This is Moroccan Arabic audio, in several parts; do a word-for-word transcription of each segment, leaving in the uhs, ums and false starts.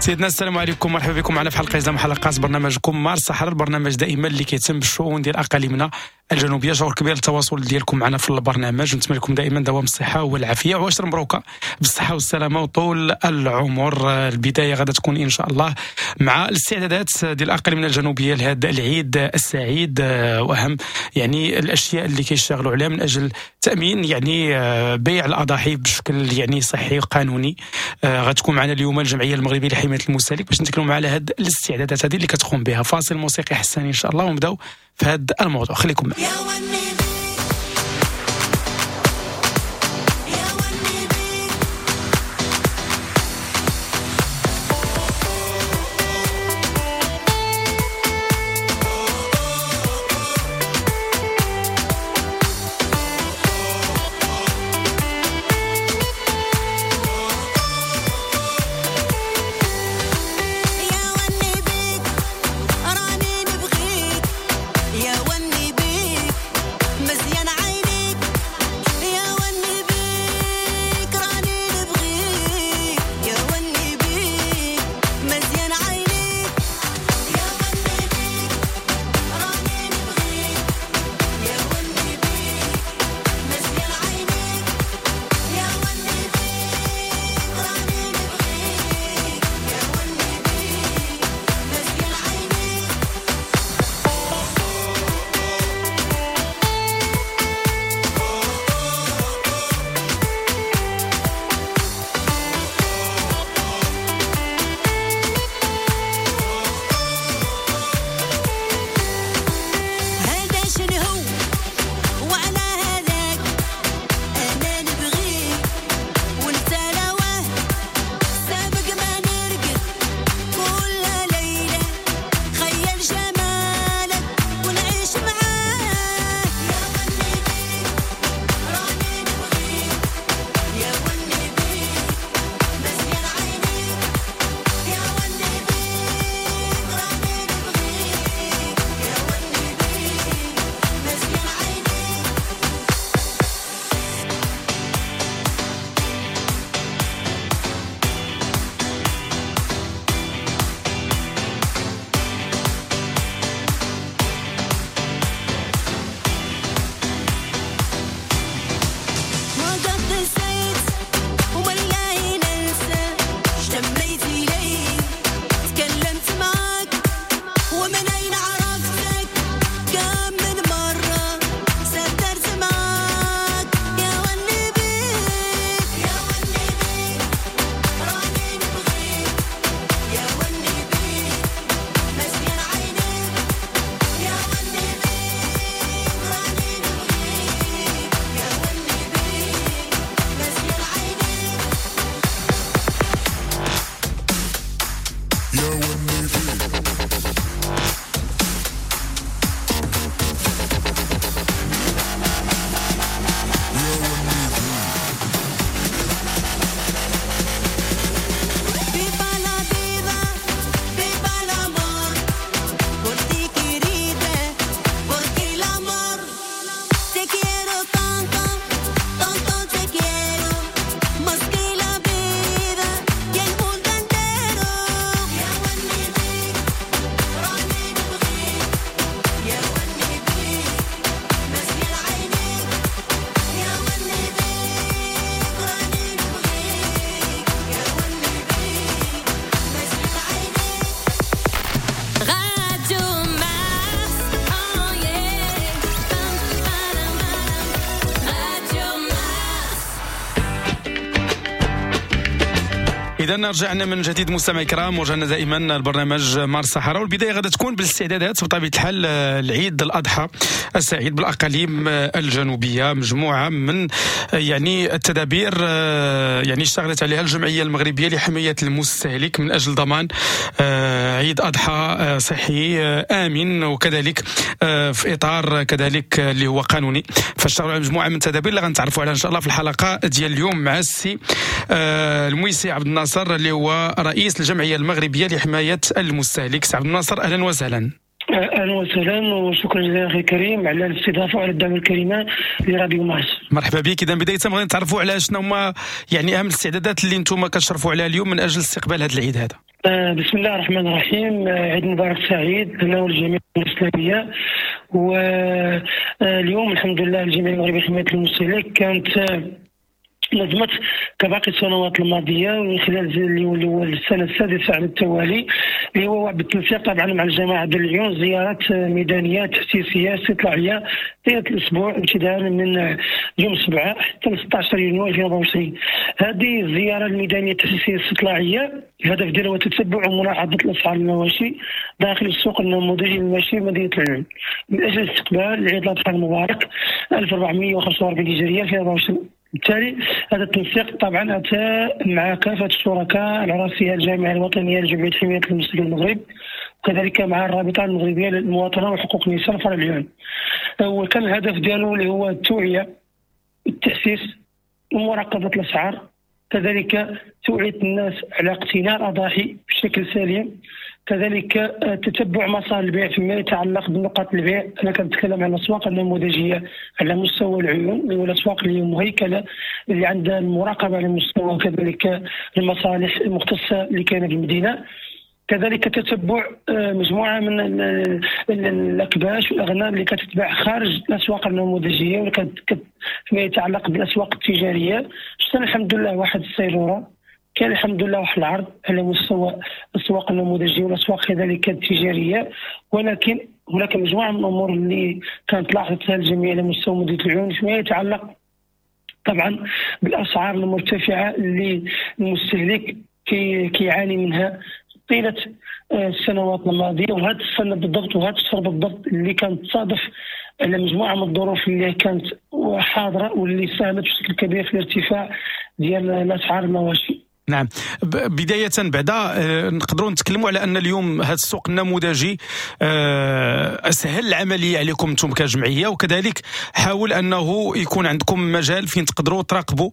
سيدنا السلام عليكم، مرحبا بكم معنا في حلقة جديدة من حلقات برنامجكم مارس الصحراء، البرنامج دائما اللي كيتم بالشؤون ديال اقاليمنا الجنوبية. شعور كبير التواصل ديالكم معنا في البرنامج، ونتمنى لكم دائما دوام الصحة والعافية وعشر مبروكه بالصحة والسلامة وطول العمر. البداية غادا تكون ان شاء الله مع الاستعدادات ديال اقاليمنا الجنوبية لهذا العيد السعيد، واهم يعني الاشياء اللي كيشتغلوا عليها من اجل تامين يعني بيع الاضاحي بشكل يعني صحي وقانوني. غتكون معنا اليوم الجمعية المغربية لحماية المستهلك باش نتكلموا على هاد الاستعدادات هذه اللي كتقوم بها. فاصل موسيقي حساني ان شاء الله ونبداو في هذا الموضوع، خليكم معنا. إذا رجعنا من جديد مستمعي الكرام، ورجعنا دائما البرنامج مارس الصحراء، والبداية غادا تكون بالاستعدادات بطبيعة الحال العيد الأضحى السعيد بالأقاليم الجنوبية. مجموعة من يعني التدابير يعني اشتغلت عليها الجمعية المغربية لحماية المستهلك من أجل ضمان عيد أضحى صحي آمن، وكذلك في إطار كذلك اللي هو قانوني. فاشتغلوا على مجموعة من التدابير اللي غنتعرفوا عليها إن شاء الله في الحلقة ديال اليوم مع السي المويسي عبد الناصر اللي هو رئيس الجمعية المغربية لحماية المستهلك. سي عبد الناصر أهلا وسهلا. اهلا وسهلا وشكرا جزيلا اخي الكريم على الاستضافة وعلى الدعم الكريمة لراديو مارس. مرحبا بك. اذا بداية بغينا نتعرفوا على شنو هما يعني اهم الاستعدادات اللي انتم كتشرفوا عليها اليوم من اجل استقبال هذا العيد هذا. بسم الله الرحمن الرحيم. عيد مبارك سعيد لنا ولجميع الإسلامية. واليوم الحمد لله الجمعية المغربية لحماية المستهلك كانت نظمت كباقي السنوات الماضية من خلال اللي هو السنة السادسة على التوالي، اللي هو بالتنسيق طبعا مع الجماعة ديال العيون، زيارات ميدانية تحسيسيه استطلاعيه طيلة الاسبوع ابتداء من يوم سبعة حتى ستة عشر يونيو ألفين وأربعة وعشرين. هذه الزيارة الميدانية التحسيسيه الاستطلاعيه الهدف ديالها هو تتبع وملاحظة الاسعار المواشي داخل السوق النموذجي للمواشي بمدينة العيون من اجل استقبال العيد الاضحى المبارك ألف وأربعمائة وخمسة وأربعين هجرية ألفين وأربعة وعشرين. بالتالي هذا التنسيق طبعا اتى مع كافة الشركاء على راسها الجامعة الوطنية لجمعية حماية المستهلك المغرب، وكذلك مع الرابطة المغربية للمواطنه وحقوق الانسان فرع العيون. وكان الهدف ديالو اللي هو التوعية، التحسيس، ومراقبة الاسعار، كذلك توعيه الناس على اقتناء الاضاحي بشكل سليم، كذلك تتبع مسار البيع فيما يتعلق بنقاط البيع. انا كنتكلم على الاسواق النموذجيه على مستوى العيون، اللي هو الاسواق اللي مهيكله اللي عندها المراقبة على مستوى كذلك المصالح المختصة اللي كاينه في المدينة، كذلك تتبع مجموعة من الاكباش والاغنام اللي كتتباع خارج الاسواق النموذجيه واللي فيما يتعلق بالاسواق التجارية. شفنا الحمد لله واحد السيروره، كان الحمد لله واحد العرض على مستوى الاسواق النموذجيه والاسواق كذلك التجارية، ولكن هناك مجموعة من الامور اللي كانت لاحظتها الجميع على مستوى مدينة العيون فيما يتعلق طبعا بالاسعار المرتفعة اللي المستهلك كي كيعاني منها طيلة السنوات الماضية، وهذه السنة بالضبط وهذا الشهر بالضبط اللي كانت تصادف على مجموعة من الظروف اللي كانت حاضره واللي ساهمت بشكل كبير في الارتفاع ديال الاسعار المواشي. نعم، بداية بعدا نقدروا نتكلموا على أن اليوم هذا السوق النموذجي سهل العملية عليكم أنتم كجمعية، وكذلك حاول أنه يكون عندكم مجال فين تقدروا تراقبوا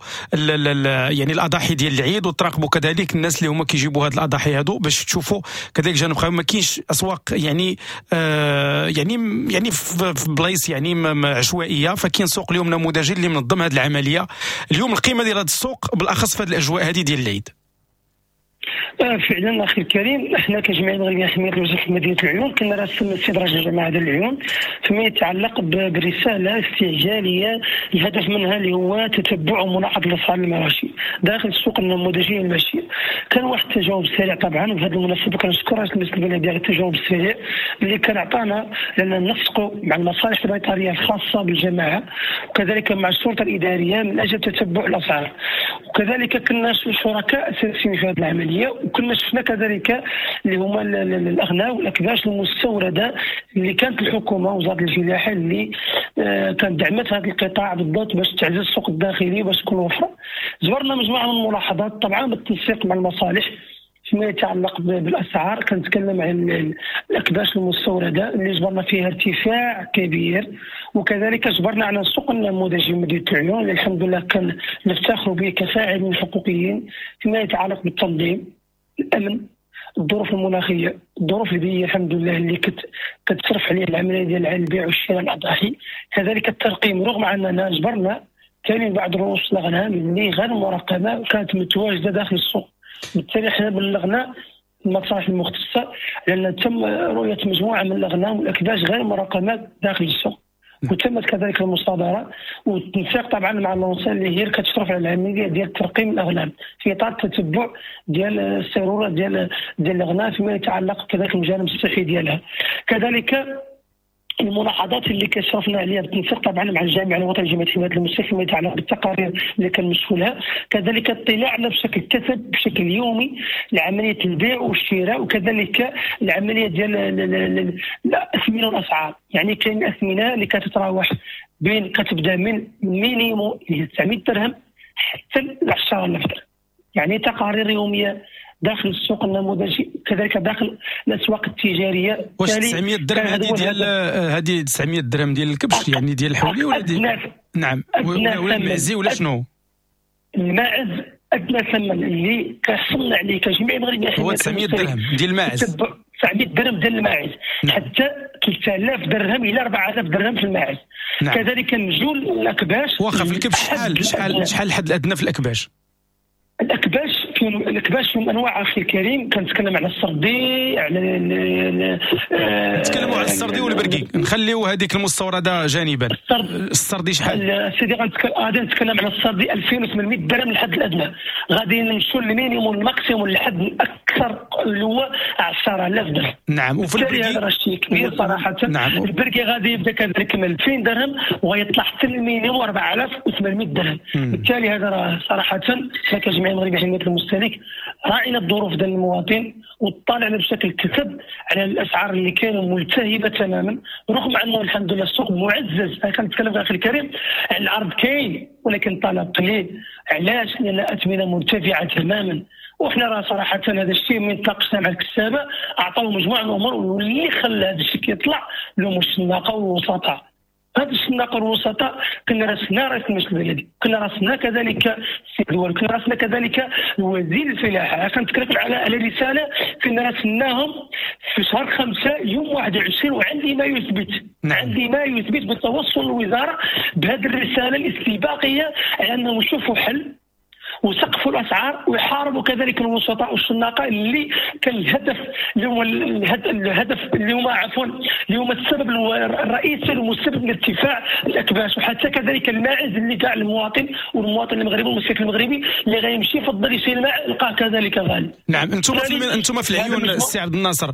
يعني الأضاحي ديال العيد، وتراقبوا كذلك الناس اللي هما كيجيبوا هاد الأضاحي هادو باش تشوفوا كذلك جانب خاوي. ما كاينش أسواق يعني يعني يعني في بلايص يعني عشوائية، فكاين سوق اليوم نموذجي اللي منظم هاد العملية. اليوم القيمة ديال هذا السوق بالأخص في هاد الأجواء هذه ديال العيد. فعلا اخي الكريم، احنا كجمعية المغربية لحماية المستهلك مدينة العيون كنا راسلنا السيد رئيس الجماعة ديال العيون فيما يتعلق برسالة استعجاليه الهدف منها اللي هو تتبع وملاحظة الاسعار المواشي داخل السوق النموذجي الماشي. كان واحد التجاوب سريع طبعا، وفي هذه المناسبة كنشكر رئيس المجلس البلدي على التجاوب السريع اللي كان عطانا لان نسقوا مع المصالح البيطريه الخاصة بالجماعة وكذلك مع الشرطة الادارية من اجل تتبع الاسعار، وكذلك كنا شركاء اساسيين في هذه العملية، وكنا شفنا كذلك اللي هما الاغنام والاكباش المستورده اللي كانت الحكومة وزارة الفلاحة اللي كانت دعمت هذا القطاع بالضبط باش تعزز السوق الداخلي وباش تكون وفرة. زورنا مجموعة من الملاحظات طبعا بالتنسيق مع المصالح فيما يتعلق بالاسعار. كنتكلم عن الاكباش المستورده اللي جبرنا فيها ارتفاع كبير، وكذلك جبرنا على السوق النموذجي مدينة العيون اللي الحمد لله كان نفتخر به كفاعلين حقوقيين فيما يتعلق بالتنظيم، الامن، الظروف المناخية، الظروف البيئية الحمد لله اللي كت كتصرف عليها العملية ديال البيع والشراء الاضاحي، كذلك الترقيم رغم اننا جبرنا كاينين بعض رؤوس الاغنام اللي غير مراقبة وكانت متواجدة داخل السوق. بالتالي حنا بلغنا المصالح المختصة لان تم رؤية مجموعة من الاغنام والاكباش غير مراقبة داخل السوق، وتمت كذلك المصادرة والتنسيق طبعا مع l'ANSES اللي هي كتشرف على العملية ديال ترقيم الاغنام في اطار التتبع ديال السيروره ديال ديال الاغنام فيما يتعلق كذلك بالجانب الصحي ديالها. كذلك الملاحظات اللي كشرفنا عليها بالتنسيق طبعا مع الجامعة الوطنية لجمعية حماية المستهلك فيما يتعلق بالتقارير اللي كنمشوا لها، كذلك اطلاعنا بشكل كثب بشكل يومي لعملية البيع والشراء، وكذلك العملية ديال الاثمنه والاسعار. يعني كاين اثمنه اللي كتتراوح بين كتبدا من minimum اللي هي تسعمية درهم حتى ل عشرة آلاف درهم، يعني تقارير يومية داخل السوق النموذجي كذلك داخل الاسواق التجارية. واش تسعمية درهم هذه ديال هذه تسعمية درهم ديال الكبش يعني ديال الحولي ولا ديال نعم ولا ولا المعزي ولا شنو؟ الماعز ادنى ثمن اللي كحصلنا عليه كجميع المغربية هو تسعمية درهم ديال الماعز، تسعمية درهم ديال الماعز. نعم. حتى ثلاثة آلاف درهم الى أربعة آلاف درهم في الماعز. نعم. كذلك نجول الاكباش. واخا في الكبش شحال شحال شحال الحد الادنى في الاكباش؟ الاكباش في فيهم الكباش فيهم انواع اخي الكريم. كنتكلم على السردي، على نتكلموا على السردي والبرقي، نخليو هذيك المستورده جانبا. السردي شحال سيدي؟ غادي نتكلم على السردي ألفين وثمانمائة درهم الحد الادنى، غادي نمشيو لل minimum وال maximum للحد الاكثر اللي هو عشرة آلاف درهم. نعم. وفي البرقي هذا راه شيء كبير صراحة. نعم. البرقي غادي يبدا كذلك من ألفين درهم وغيطلع حتى ال minimum أربعة آلاف وثمانمائة درهم. بالتالي هذا راه صراحة حنا كجمعية المغربية لحماية المستهلك راعينا الظروف ديال المواطن وطلعنا بشكل كثب على الاسعار اللي كانوا ملتهبه تماما، رغم انه الحمد لله السوق معزز. انا كنتكلم اخي الكريم على العرض كاين ولكن الطلب قليل. علاش؟ لان الاثمنه مرتفعة تماما، وحنا راه صراحة هذا الشيء من تناقشنا مع الكسابه اعطاو مجموعة من الامور، واللي خلى هذا الشيء كيطلع لهم الشناقه والوسطاء. هاد الشناقه والوسطاء كنا راسنا رئيس المجلس البلدي، كنا راسنا كذلك السيد الوالي، كنا راسنا كذلك وزير الفلاحة. كنتكلم على على رسالة كنا راسلناهم في شهر خمسة يوم واحد وعشرين، وعندي ما يثبت. نعم. عندي ما يثبت بالتوصل للوزارة بهذه الرسالة الاستباقيه على انهم يشوفوا حل وسقفوا الاسعار ويحاربوا كذلك الوسطاء والشناقه اللي كان الهدف اللي هو الهدف اللي هما عفوا اللي هما السبب الرئيسي المسبب لارتفاع الاكباش، وحتى كذلك الماعز اللي كاع المواطن والمواطن المغربي والمستهلك المغربي اللي غيمشي يفضل يشري الماء لقاه كذلك غالي. نعم. انتم في انتم في العيون السي عبد الناصر،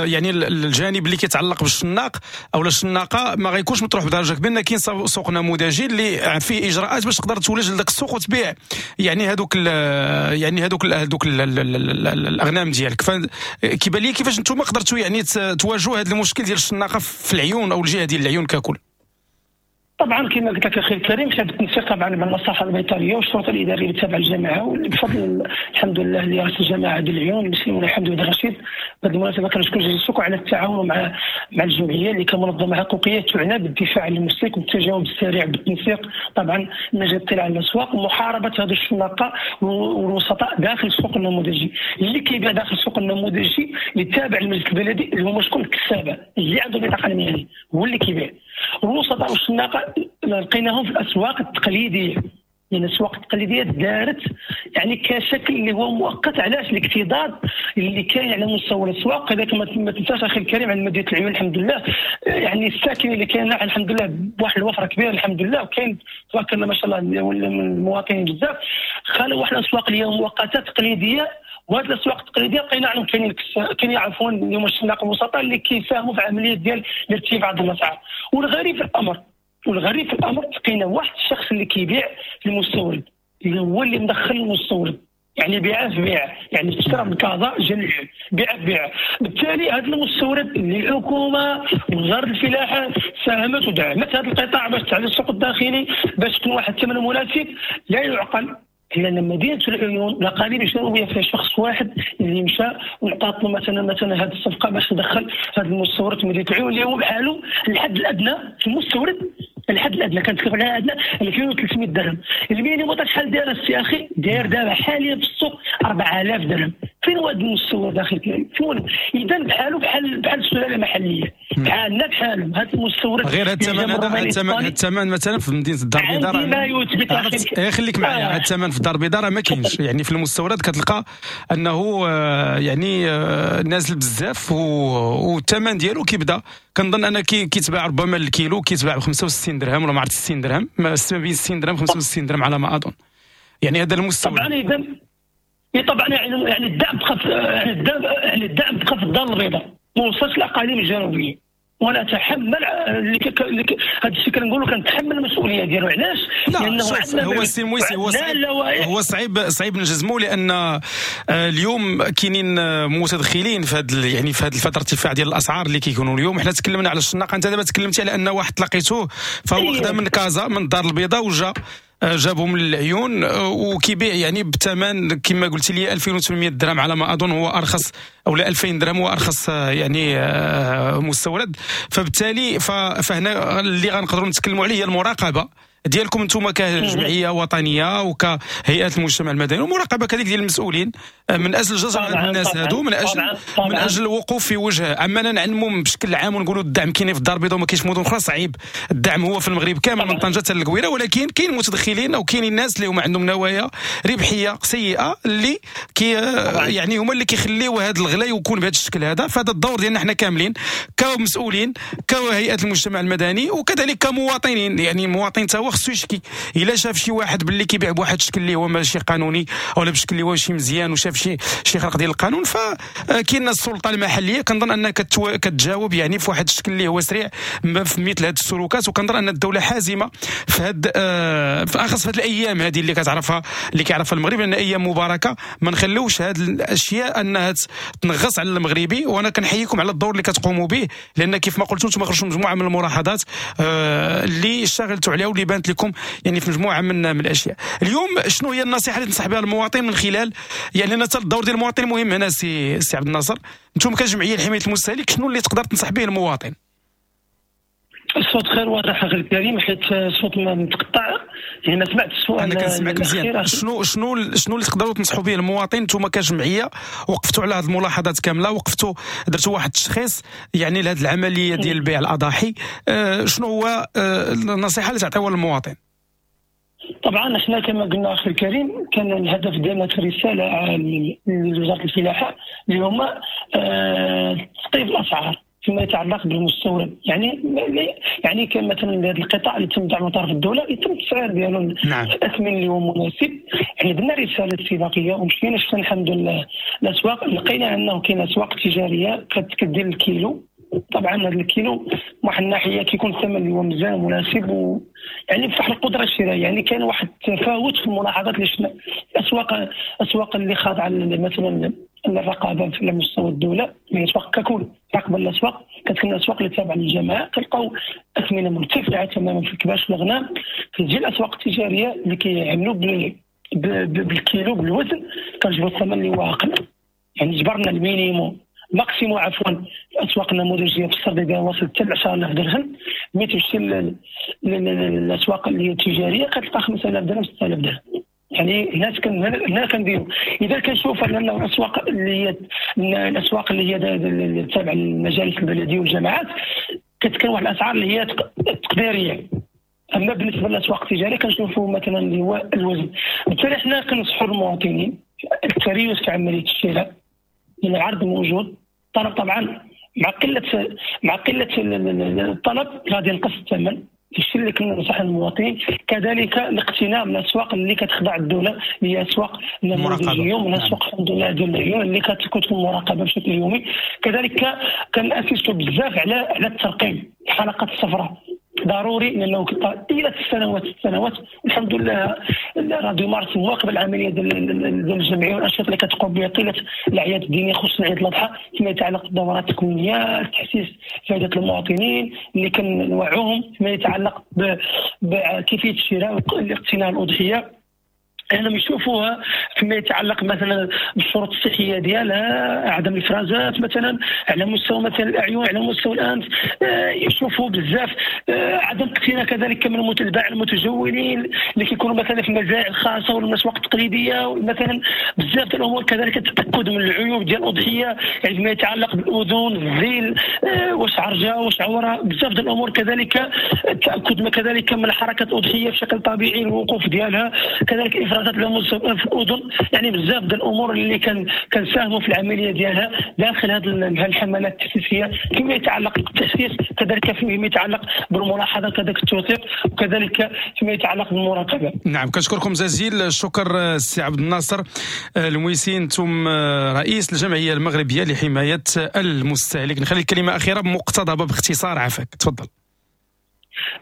يعني الجانب اللي كيتعلق بالشناق او الشناقه ما غيكونش مطروح بدرجة كبيرة، كاين سوق نموذجي اللي فيه اجراءات باش تقدر تولج لذاك السوق وتبيع يعني هذوك يعني هذوك هذوك الاغنام ديالك. فكيبان لي كيفاش نتوما قدرتوا يعني تواجهوا هذا المشكل ديال الشناقه في العيون او الجهة ديال العيون ككل؟ طبعا كما قلت لك اخي الكريم، كانت التنسيق طبعا مع المصلحة البيطريه والشرطة الادارية اللي تابعه للجامعة، وبفضل الحمد لله اللي رئيس الجامعة ديال العيون المسلمون الحمد لله رشيد. بهذه المناسبة كنشكر جزيل الشكر على التعاون مع مع الجمعية اللي كمنظمه حقوقيه تعنى بالدفاع عن المستهلك والتجاوب السريع بالتنسيق طبعا من اجل الاطلاع على الاسواق ومحاربه هذه الشناقه والوسطاء داخل السوق النموذجي. اللي كيبيع داخل السوق النموذجي اللي تابع للمجلس البلدي اللي هما شكون؟ الكسابه اللي عنده بطاقة المهنية هو اللي كيبيع. الوسطاء والشناقه لقيناهم في الاسواق التقليدية، لان الاسواق التقليدية دارت يعني كشكل اللي هو مؤقت. علاش؟ الاكتظاظ اللي كاين على مستوى الاسواق. كذلك ما تنساش اخي الكريم عند مدينة العيون الحمد لله يعني الساكنة اللي كاين الحمد لله بواحد الوفرة كبيرة الحمد لله، وكاين تبارك الله ما شاء الله المواطنين بزاف. خلوا واحد الاسواق اللي هي مؤقتة تقليدية، وهذه الاسواق التقليدية لقينا عنهم كاينين كاينين عفوا اليوم الشناق الوسطاء اللي كيساهموا في عملية ديال الارتفاع ديال الاسعار. والغريب في الامر والغريب في الامر لقينا واحد الشخص اللي كيبيع المستورد اللي هو اللي مدخل المستورد، يعني بيع في بيع، يعني اشترى من كازا جا للعيون بيع في بيع. بالتالي هذا المستورد اللي الحكومة وزارة الفلاحة ساهمت ودعمت هذا القطاع باش تعزز السوق الداخلي باش تكون واحد الثمن مناسب. لا يعقل لان مدينة العيون الاقاليم الجنوبية فيها شخص واحد اللي مشى وعطات له مثلا مثلا هذه الصفقة باش تدخل هذا المستورد مدينة العيون اللي هو بحاله الحد الادنى في المستورد، الحد الادنى كنتكلم على ادنى ألفين وثلاثمائة درهم. ال minimum شحال داير السي اخي؟ داير دابا حاليا في السوق أربعة آلاف درهم. فين هو هذا المستورد داخل فين؟ اذا بحاله بحال بحال السلالة المحلية بحالنا بحالهم هذا المستورد. غير هذا الثمن هذا الثمن الثمن مثلا في مدينة الدار البيضاء ما يثبت. خليك معايا، هذا الثمن في الدار البيضاء ما كاينش، يعني في المستورد كتلقى انه يعني نازل بزاف والثمن ديالو كيبدا كنظن انا كيتباع ربما الكيلو كيتباع ب خمسة وستين درهم ولا ما عرفت ستين درهم، ما بين ستين درهم خمسة وستين درهم على ما اظن. يعني هذا المستورد طبعا. اذا طبعا يعني الدعم بقى يعني الدعم يعني الدعم بقى في الدار البيضاء ما وصلش للاقاليم الجنوبية. وانا اتحمل هذا الشيء كنقولوا كنتحمل المسؤولية ديالو. علاش؟ لانه هو السي مويسي هو صعيب هو صعيب صعيب نجزمو، لان اليوم كاينين متدخلين في هذا يعني في هذه الفترة ارتفاع ديال الاسعار اللي كيكونوا اليوم. حنا تكلمنا على الشناقه، انت دابا تكلمتي على ان واحد لقيتوه فهو خدا من كازا من الدار البيضاء وجا جابهم للعيون وكيبيع يعني بثمن كما قلت لي ألفين وثمانمائة درهم على ما اظن هو ارخص، او لا ألفين درهم هو ارخص يعني مستورد. فبالتالي فهنا اللي غنقدروا نتكلموا عليه هي المراقبة ديالكم انتم كجمعية وطنية وكهيئه المجتمع المدني، ومراقبة كذلك ديال المسؤولين من اجل جزر الناس هادو، من اجل طبعاً. من اجل الوقوف في وجه. اما نعلموا بشكل عام ونقولوا الدعم كاين في الدار البيضاء وما كاينش في مدن اخرى، صعيب. الدعم هو في المغرب كامل من طنجه حتى للقويره، ولكن كاين متدخلين او كاينين الناس اللي هما عندهم نوايا ربحية سيئه اللي كي يعني هما اللي كيخليو هذا الغلاء يكون بهذا الشكل هذا. فهذا الدور ديالنا حنا كاملين كمسؤولين، كهيئة المجتمع المدني، وكذلك كمواطنين. يعني المواطن تا هو خصو يشكي الا شاف شي واحد باللي كيبيع بواحد الشكل اللي هو ماشي قانوني او بشكل اللي هو ماشي مزيان، وشاف شي شي خرق ديال القانون، فكاين السلطة المحلية كنظن انها كتجاوب يعني في واحد الشكل اللي هو سريع في مثل هذه السلوكات. وكنظن ان الدولة حازمة في هاد في اخص في هاد الايام هذه اللي كتعرفها اللي كيعرفها المغرب، لان ايام مباركة، ما نخلوش هاد الاشياء انها تنغص على المغربي. وانا كنحييكم على الدور اللي كتقوموا به، لان كيف ما قلتوا انتم خرجتوا مجموعة من الملاحظات اللي اشتغلتوا عليها واللي بانت لكم يعني في مجموعة من من الاشياء. اليوم شنو هي النصيحة اللي تنصح بها المواطن من خلال يعني لان الدور ديال المواطن مهم هنا سي سي عبد الناصر، انتم كجمعية لحماية المستهلك شنو اللي تقدر تنصح به المواطن؟ الصوت غير واضح اخي الكريم، حيت الصوت متقطع، يعني ما سمعت السؤال. انا كنسمعك مزيان. شنو شنو شنو اللي تقدروا تنصحوا به المواطن انتم كجمعية؟ وقفتوا على هذه الملاحظات كاملة، وقفتوا درتوا واحد التشخيص يعني لهذه العملية ديال بيع الاضاحي، أه شنو هو أه النصيحة اللي تعطيوها للمواطن؟ طبعا احنا كما قلنا اخي الكريم كان الهدف ديالنا في الرسالة لوزارة الفلاحة اللي هما أه تسقيف الاسعار فيما يتعلق بالمستورد، يعني يعني كان مثلا هذا القطاع اللي تم دعمه من طرف الدولة يتم التسعير ديالو نعم. الاثمن اللي هو مناسب. يعني درنا رسالة استباقية ومشينا شفنا الحمد لله الاسواق، لقينا انه كاين اسواق تجارية كدير الكيلو. طبعا هذا الكيلو واحد الناحية كيكون الثمن اللي هو مزيان مناسب و يعني بصح القدرة الشرائية، يعني كاين واحد التفاوت في الملاحظات اللي شفنا الاسواق الاسواق اللي خاضعة مثلا الرقابة على مستوى الدولة، الاسواق ككل راقبه الاسواق، كتكون الاسواق اللي تابعه للجماعة كنلقاو اثمنه مرتفعة تماما في الكباش والغنم. كتجي الاسواق التجارية اللي كيعملوا بالكيلو بالوزن كنجبروا الثمن اللي هو اقل، يعني جبرنا ال minimum maximum عفوا الاسواق النموذجيه في السردية وصلت حتى عشرة آلاف درهم، ملي تمشي للاسواق اللي هي التجارية كتلقى خمسة آلاف درهم ستة آلاف درهم. يعني هنا هنا كنديروا اذا كنشوف ان الاسواق اللي هي الاسواق اللي هي تابعه للمجالس البلدية والجماعات كتكون واحد الاسعار اللي هي تقديرية. اما بالنسبة للاسواق التجارية كنشوفوا مثلا اللي هو الوزن. بالتالي حنا كنصحوا المواطنين التريث في عملية الشراء، لان العرض موجود، الطلب طبعا مع قلة مع قلة الطلب غادي ينقص الثمن. الشيء اللي كننصح المواطنين كذلك الاقتناء من الاسواق اللي كتخضع الدولة، اللي هي اسواق النموذجيه ومن اسواق الحمد لله ديال العيون اللي كتكون المراقبة بشكل يومي. كذلك كنأسسوا بزاف على على الترقيم، الحلقات الصفراء ضروري، لانه طيلة السنوات السنوات الحمد لله راديو مارس مواكبة العملية ديال الجمعية والانشطه اللي كتقوم بها طيلة الاعياد الدينية خصوصا عيد الاضحى فيما يتعلق بالدورات التكوينيه، التحسيس فائدة المواطنين اللي كنوعوهم فيما يتعلق بكيفية الشراء والاقتناء الاضحية، انهم يشوفوها فيما يتعلق مثلا بالشروط الصحية ديالها، عدم الافرازات مثلا على مستوى مثلا الاعين، على مستوى الانف، يشوفوا بزاف عدم اقتناء كذلك من البائع المتجولين اللي كيكونوا مثلا في المزارع الخاصة ولا الاسواق التقليدية مثلا، بزاف ديال الامور. كذلك التاكد من العيوب ديال الاضحية، يعني فيما يتعلق بالاذن، الذيل، واش عرجه واش عورة، بزاف ديال الامور. كذلك التاكد كذلك من حركة الاضحية بشكل طبيعي، الوقوف ديالها، كذلك افراز في الاذن، يعني بزاف ديال الامور اللي كان كنساهموا في العملية ديالها داخل هذه الحملات التحسيسيه فيما يتعلق بالتحسيس، كذلك فيما يتعلق بالملاحظه، كذلك التوثيق، وكذلك فيما يتعلق بالمراقبه. نعم، كنشكركم جزيل الشكر السي عبد الناصر المويسي، انتم رئيس الجمعية المغربية لحماية المستهلك. نخلي الكلمة اخيرة مقتضبه باختصار، عافاك تفضل.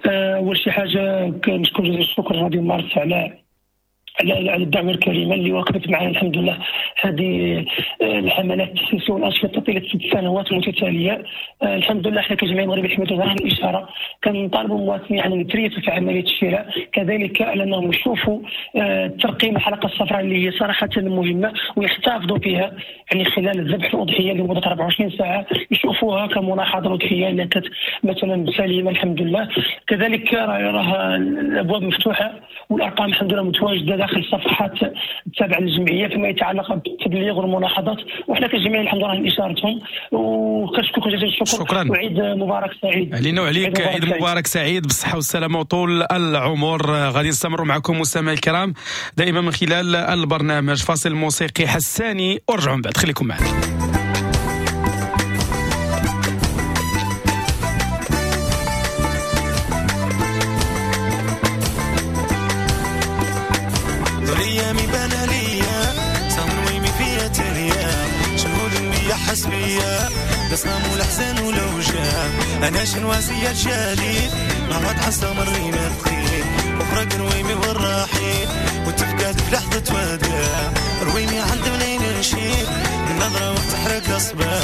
اول شي حاجة كنشكر جزيل الشكر راديو مارس على على الدعوة الكريمة اللي وقفت معنا الحمد لله هذه الحملات التحسيسيه والانشطه طيلة ست سنوات متتالية. الحمد لله حنا كجمعية المغربية لحماية الوزراء الاشارة كنطالبوا المواطنين يعني يتريثوا في عملية الشراء، كذلك انهم يشوفوا ترقيم الحلقة الصفراء اللي هي صراحة مهمة ويحتفظوا بها يعني خلال الذبح الاضحية لمدة أربعة وعشرين ساعة، يشوفوها كملاحظه الاضحية الا كانت مثلا سليمة الحمد لله. كذلك راه الابواب مفتوحة والارقام الحمد لله متواجدة داخل الصفحات التابعة للجمعية فيما يتعلق بالتبليغ والملاحظات، وحنا كجمعية الحمد لله اشارتهم وكنشكركم جزيل الشكر. شكرا وعيد مبارك سعيد علينا وعليك. عيد مبارك سعيد بالصحة والسلامة وطول العمر. غادي نستمروا معكم مستمعي الكرام دائما من خلال البرنامج. فاصل موسيقي حساني ورجعوا من بعد، خليكم معنا. الأحزان والأوجاع أنا شنوازية الجليل نعوض حصة مرينا الخير وفرق رويمي والرحيل وتفقد في لحظة وداع رويمي عند منين نشيل النظرة وتحرك أصبع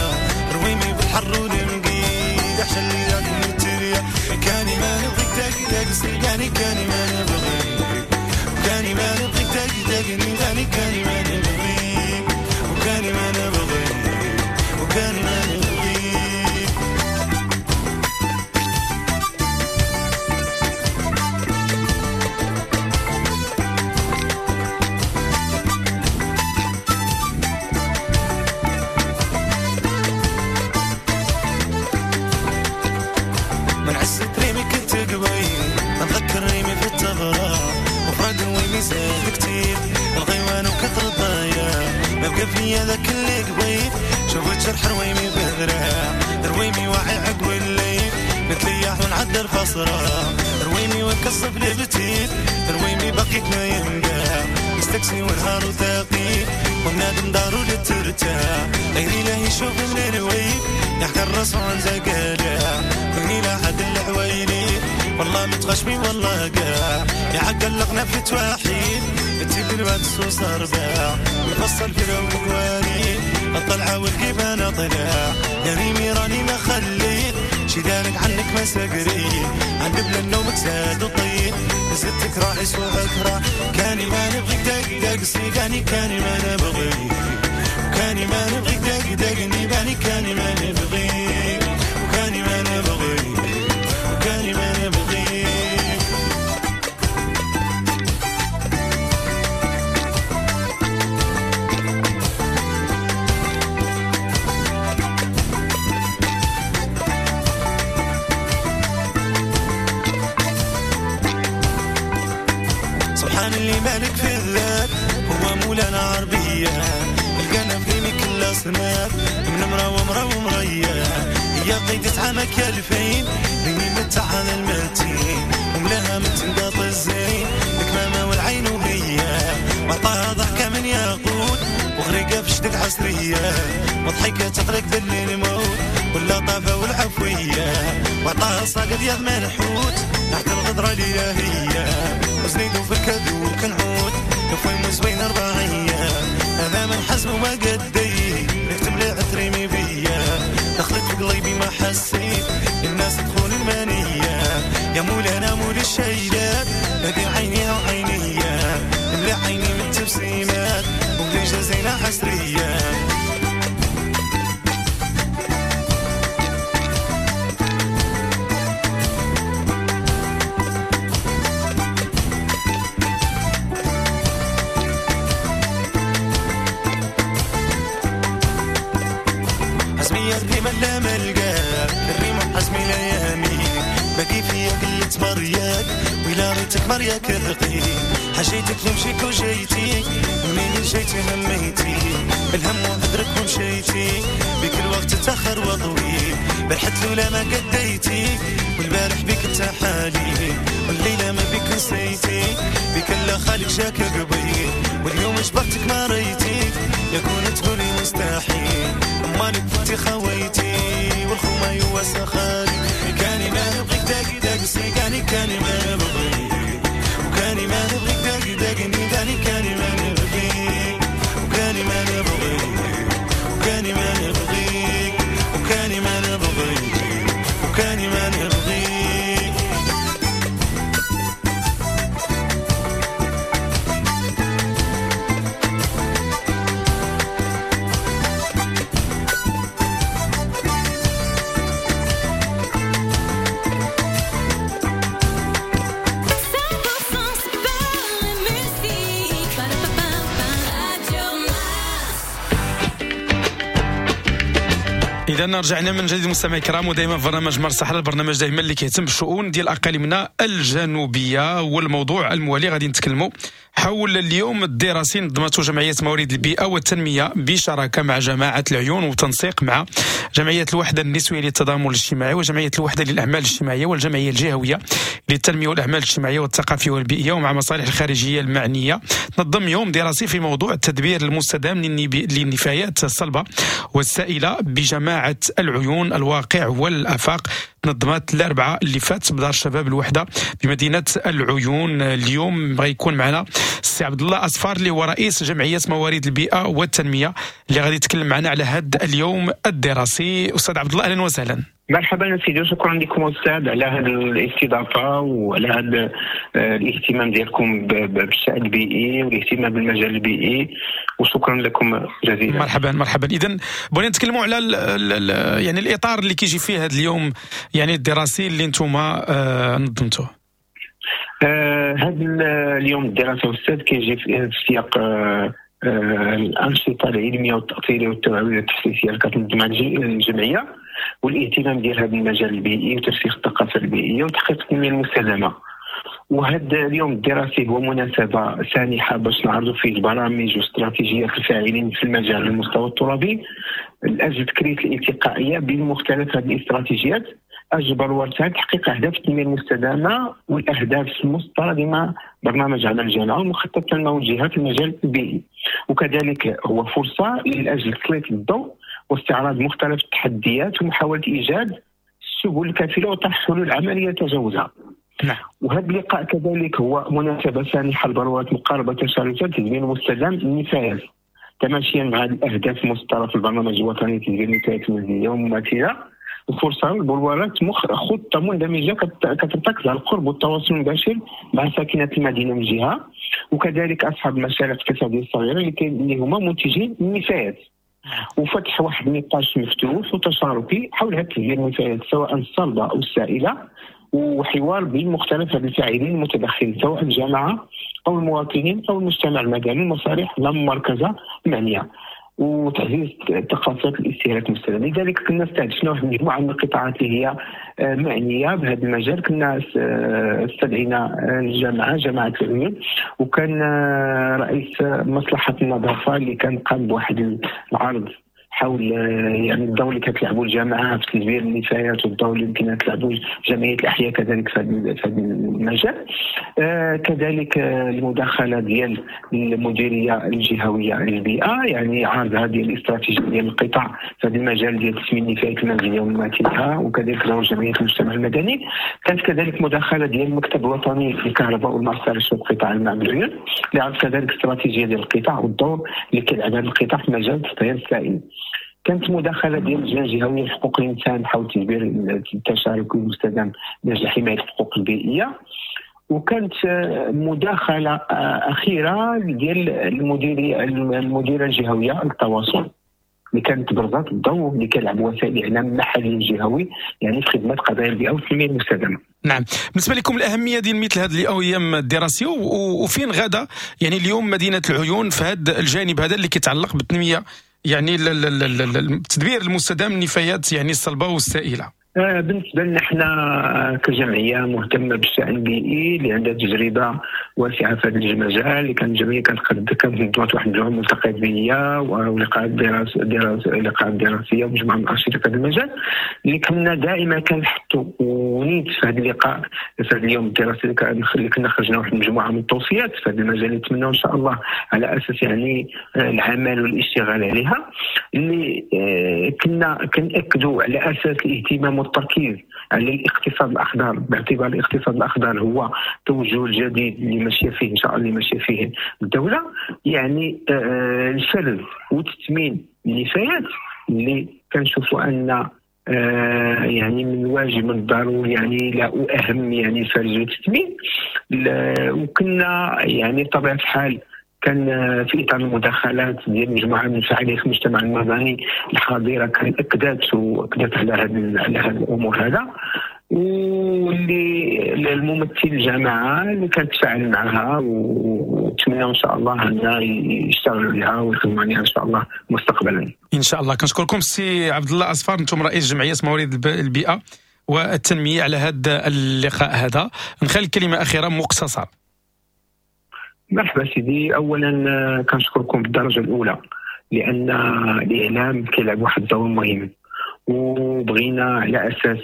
رويمي بالحر والمقيد أحسن اللي ياكل التريا كاني ما نبغيك تاقي سيقاني كاني ما نبغيك وكاني ما نبغيك تاقي تاقي كاني ما نبغيك وكاني ما نبغيك وكاني ما نبغيك. فيا ذاك اللي قبيل شوفت جرح رويمي بذراع رويمي واعي عقب الليل نتليح ونعدل فصرة رويمي ونكصف لبتيل رويمي بقيت نايم كاع مستكسي ونهار وثقيل ونادم دارو لترتاح غيري لا يشوف من الويل يحكي الراس عن زقالع كوني لا حد العويلي والله متغشمي والله كاع يعقل لقنا في تواحيد تجيب الواد السوس أرباع ويفصل في الأوالي الطلعة والقيبانة طلع يا ريمي راني ما خليت شي دارك عنك ما سقري عند بلا النوم زاد وطيب زدتك راعي سوقك راح كاني ما نبغيك دق دق سيقاني كاني ما نبغيك وكاني ما نبغيك دق دقني باني كاني ما نبغيك وكاني ما نبغيك وكاني ما نبغيك. اللي مالك في الذات هو مولانا عربية القنا في كل أصناف من مرا ومرا ومريا هي قيدة عامك يا الفين ريمي متع هذا المتين وملاها من تنقاط الزين الكمامة والعين وهي وعطاها ضحكة من ياقوت وغريقة في شدك عصرية وضحكة تغرق بالليل موت واللطافة والعفوية وعطاها صاقد يا منحوت تحت الغدرة الإلهية وزنيدو في الكذوب كنعود نفوي زوين أربعية هذا من حزم وما قدي نكتب لي عتريمي بيا دخلت في قلبي ما حسيت الناس تخون المانية يا مولانا مول الشيلات هذه عينيها وعينيا ملي عيني من التبسيمات وبلي جزينا حسرية. لا ملقاك الريم حزمي ليامي باقي فيا قلة مرياك ولا ريتك مرياك ثقيل حاجيتك نمشيك وجيتي منين جيتي هميتي الهم وعذرك ومشيتي بك الوقت تاخر وطويل برحت لولا ما قديتي والبارح بك انت حالي والليلة ما بك نسيتي بك لا خالق جاك قبيل واليوم جبرتك ما ريتي يكون تقولي مستحيل امالك فتي خويتي والخوما يواسى خالي كاني ما نبغيك داقي داقي سيقاني كاني ما نبغيك وكاني ما نبغيك داقي داقي نيداني كاني ما نبغيك وكاني ما نبغيك. إذا رجعنا من جديد مستمعي الكرام، ودائما في برنامج مار الصحراء، البرنامج دائما اللي كيهتم بالشؤون ديال اقاليمنا الجنوبية. والموضوع الموالي غادي نتكلموا حول اليوم الدراسي نظمته جمعية موارد البيئة والتنمية بشراكه مع جماعة العيون وتنسيق مع جمعية الوحدة النسوية للتضامن الاجتماعي وجمعية الوحدة للاعمال الاجتماعية والجمعية الجهوية للتنمية والاعمال الاجتماعية والثقافية والبيئيه ومع مصالح الخارجية المعنية. تنظم يوم دراسي في موضوع التدبير المستدام للنفايات الصلبة والسائله بجماعة العيون الواقع والافاق. تنظمت الاربعاء اللي فات بدار الشباب الوحدة بمدينة العيون. اليوم غيكون معنا السي عبد الله اصفار اللي هو رئيس جمعية موارد البيئة والتنمية اللي غادي يتكلم معنا على هذا اليوم الدراسي. استاذ عبد الله اهلا وسهلا. مرحبا سيدي، شكرا لكم استاذ على هذه الاستضافة وعلى هذا الاهتمام ديالكم بالشأن البيئي والاهتمام بالمجال البيئي، وشكرا لكم جزيلا. مرحبا مرحبا. اذا بغينا نتكلموا على ال ال يعني الاطار اللي كيجي فيه هذا اليوم يعني الدراسي اللي انتم آه نظمتوه. آه هذا اليوم الدراسي استاذ كيجي في سياق آه آه الانشطة العلمية والتاطيريه والتوعويه والتحسيسيه اللي كتنظمها الجمعية، والاهتمام ديال هذا المجال البيئي وترسيخ الثقافة البيئية وتحقيق التنمية المستدامة. وهذا اليوم الدراسي هو مناسبة سانحه باش نعرضوا فيه البرامج واستراتيجيات الفاعلين في المجال على المستوى الترابي لاجل تكريس الالتقائيه بين مختلف هذه الاستراتيجيات اجبر ورثها تحقيق اهداف التنمية المستدامة والاهداف المسطره ضمن برنامج عمل الجامعة ومخطط التنموي الجهات في المجال البيئي. وكذلك هو فرصة لاجل تسليط الضوء واستعراض مختلف التحديات ومحاولة ايجاد السبل الكافيه وطرح حلول عملية تجاوزها. نعم. وهذا اللقاء كذلك هو مناسبة سانحه لبلورة مقاربة تشاركيه للتدبير المستدام للنفايات تماشيا مع الاهداف المسطره في البرنامج الوطني لتدبير النفايات المنزلية ومماثله. وفرصه لبلورة خطه مندمجه كترتكز على القرب والتواصل المباشر مع ساكنة المدينة من جهة، وكذلك اصحاب المشاريع الاقتصادية الصغيرة اللي هما منتجين النفايات، وفتح واحد النقاش مفتوح وتشاركي حول هذا التدبير النفايات سواء الصلبة او السائلة، وحوار بين مختلف الفاعلين المتدخلين سواء الجامعة او المواطنين او المجتمع المدني المصالح المركزة المعنية، وتعزيز ثقافات الاستهلاك المستدام. لذلك كنا استهدفنا واحد المجموعة من القطاعات اللي هي معنية بهذا المجال. كنا استدعينا الجامعة جامعه العيون، وكان رئيس مصلحة النظافة اللي كان قام بواحد العرض حول يعني الدور اللي كتلعبوا الجامعة في تدبير النفايات والدور اللي يمكن تلعبوا جمعية الاحياء كذلك في هذا المجال. آه كذلك المداخلة ديال المديرية الجهوية للبيئة، يعني عرض هذه الاستراتيجية ديال القطاع في هذا المجال ديال تسمين النفايات المنزلية ومماثلها، وكذلك دور جمعية المجتمع المدني. كانت كذلك مداخله ديال المكتب الوطني للكهرباء والماء الصالح وقطاع الماء بالعيون اللي عرض كذلك استراتيجية ديال القطاع والدور اللي كيلعب هذا القطاع في مجال التطهير السائل. كانت مداخله ديال اللجنة الجهوية لحقوق الانسان حول تدبير التشارك المستدام من اجل حماية الحقوق البيئية، وكانت مداخله اخيرة ديال المديرية المديرة الجهوية للتواصل اللي كانت برزات الضوء اللي كيلعب وسائل الاعلام المحلي الجهوي يعني في خدمة قضايا البيئة والتنمية المستدامة. نعم، بالنسبة لكم الاهمية ديال مثل هذه الايام الدراسية وفين غدا يعني اليوم مدينة العيون في هذا الجانب هذا اللي كيتعلق بالتنميه يعني التدبير المستدام للنفايات يعني الصلبة والسائله؟ بالنسبة لنا حنا كجمعية مهتمة بالشان البيئي اللي عندها تجربه واسعة في هذا المجال، اللي كانت الجمعية كانت كانت نظمت واحد المجموعة من الملتقيات البيئية ولقاءات دراسية لقاءات دراسية ومجموعة من الانشطة في هذا المجال اللي كنا دائما كنحطوا ونيت في هذا اللقاء في هذا اليوم الدراسي اللي كنا خرجنا واحد المجموعة من التوصيات في هذا المجال اللي نتمنوا ان شاء الله على اساس يعني العمل والاشتغال عليها، اللي كنا كنأكدوا على اساس الاهتمام التركيز على الاقتصاد الاخضر، باعتبار الاقتصاد الاخضر هو التوجه الجديد اللي ماشية فيه ان شاء الله اللي ماشية فيه الدولة، يعني الفرز وتثمين النفايات اللي كنشوفوا ان يعني من الواجب من الضروري يعني لا اهم يعني الفرز والتثمين. وكنا يعني بطبيعة الحال كان في اطار المداخلات ديال مجموعة من فاعلية المجتمع المدني الحاضرة كان اكدت واكدت على هذه على هذه الامور هذا. واللي الممثل الجماعة اللي كنتفاعل معها، ونتمنى ان شاء الله ان يشتغلوا عليها ويخدموا عليها ان شاء الله مستقبلا. ان شاء الله. كنشكركم سي عبد الله اصفار، انتم رئيس جمعية موارد البيئة والتنمية على هذا اللقاء هذا. نخلي كلمة اخيرة مقتصرة. مرحبا سيدي. اولا كنشكركم بالدرجة الاولى، لان الاعلام كيلعب واحد الدور مهم، وبغينا على اساس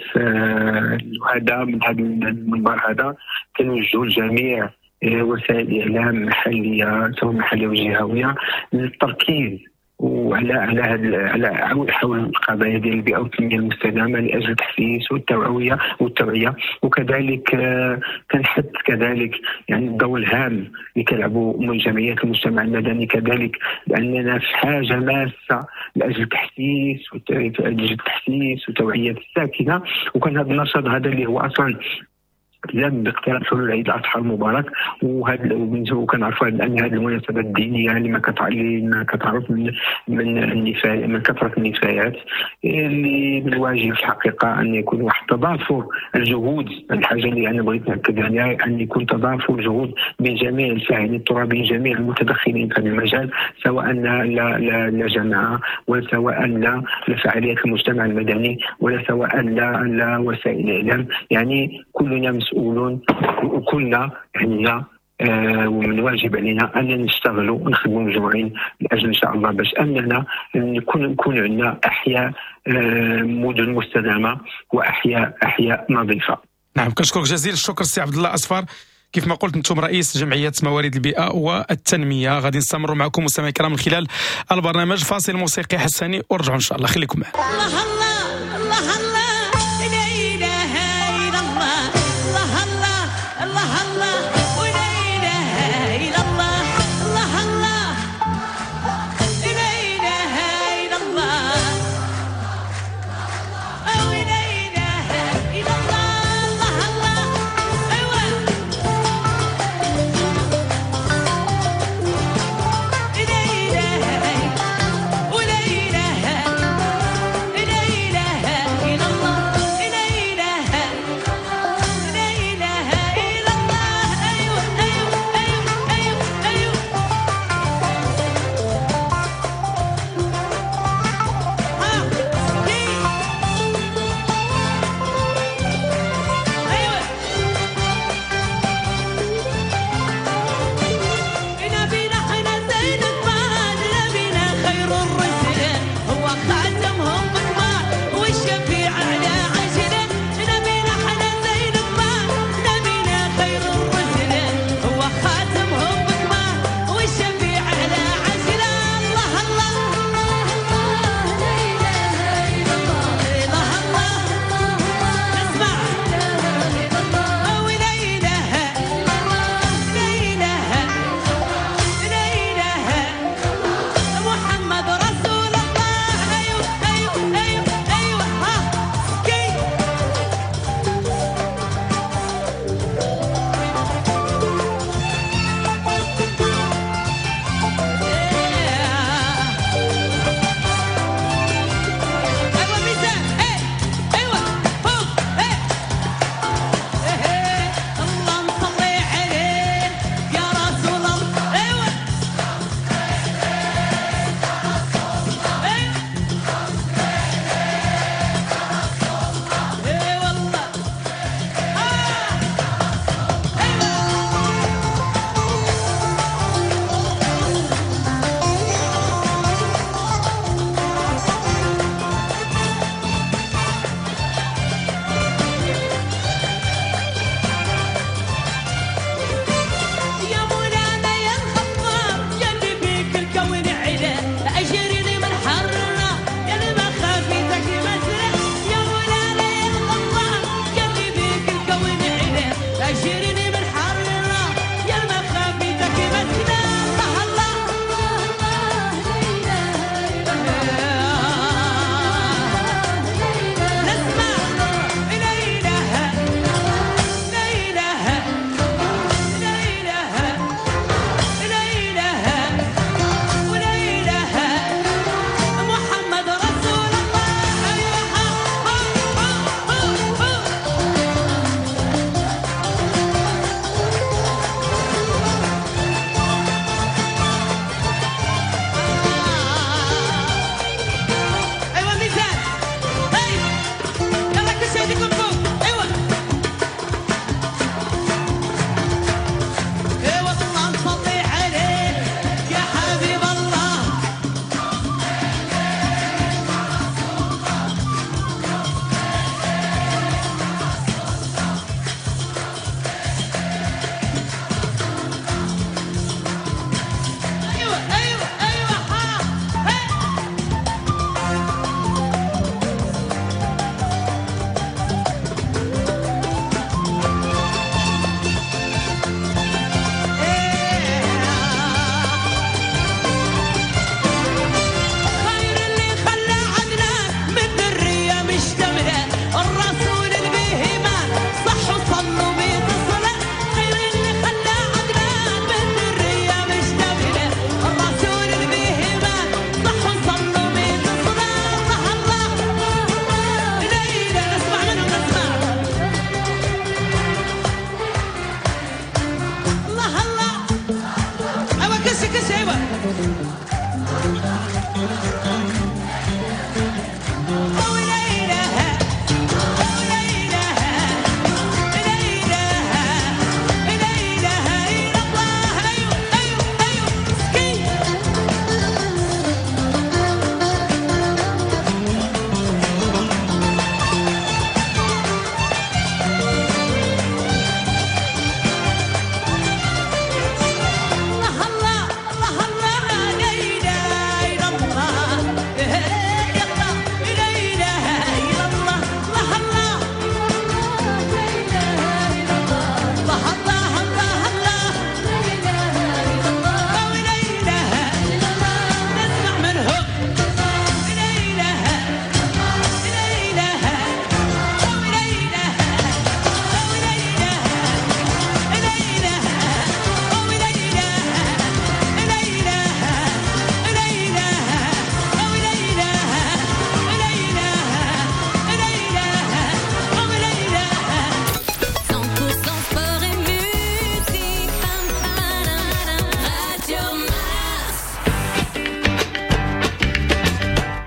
هذا من هذا المنبر هذا كنوجهوا لجميع وسائل الاعلام المحلية سواء محليه وجهويه للتركيز وعلى على هاد على حول القضايا ديال البيئة والتنمية المستدامة لاجل التحسيس والتوعية والتوعية وكذلك كنحث كذلك يعني الدور الهام اللي كيلعبوا من جمعيات المجتمع المدني كذلك، لاننا في حاجة ماسه لاجل التحسيس لاجل التحسيس وتوعيه الساكنة. وكان هذا النشاط هذا اللي هو اصلا لم باقتراب حلول عيد الاضحى المبارك، وهذا وكنعرفوا ان هذه المناسبات الدينية اللي ما كتعرف من من النفايات، من كثرة النفايات، اللي من الواجب في الحقيقة ان يكون واحد تضافر الجهود. الحاجة اللي انا بغيت ناكد عليها ان يكون تضافر الجهود بين جميع الفاعلين الترابيين، جميع المتدخلين في هذا المجال، سواء لا لا لا جماعة، ولا سواء لا لفعاليات المجتمع المدني، ولا سواء لا لا وسائل الاعلام. يعني كلنا مسؤولون وكلنا عندنا آه ومن الواجب علينا ان نشتغلوا ونخدموا مجموعين لاجل ان شاء الله باش اننا نكون نكون عندنا احياء آه مدن مستدامة واحياء احياء نظيفة. نعم، كنشكرك جزيل الشكر سي عبد الله اصفار. كيف ما قلت انتم رئيس جمعية موارد البيئة والتنمية. غادي نستمروا معكم مستمعي الكرام من خلال البرنامج. فاصل موسيقي حساني ورجعوا ان شاء الله، خليكم معنا. الله الله الله الله لا اله الا الله، الله الله الله الله ولا اله الا الله، الله الله لا اله الا الله، ولا اله الا الله، الله الله ايوا لا اله ولا اله لا اله الا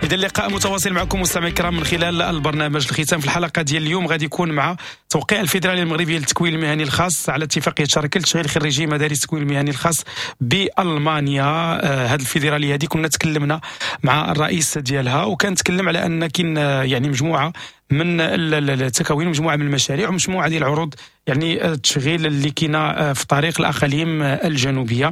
إذا اللقاء متواصل معكم مستمعي الكرام من خلال البرنامج. الختام في الحلقة ديال اليوم غادي يكون مع توقيع الفيدرالية المغربية للتكوين المهني الخاص على اتفاقية شراكة لتشغيل خريجي مدارس التكوين المهني الخاص بألمانيا. هذه الفيدرالية هذه كنا تكلمنا مع الرئيس ديالها، وكان تكلم على أن كاين يعني مجموعة من التكوين، مجموعة من المشاريع ومجموعة ديال العروض يعني التشغيل اللي كاينه في طريق الاقاليم الجنوبية.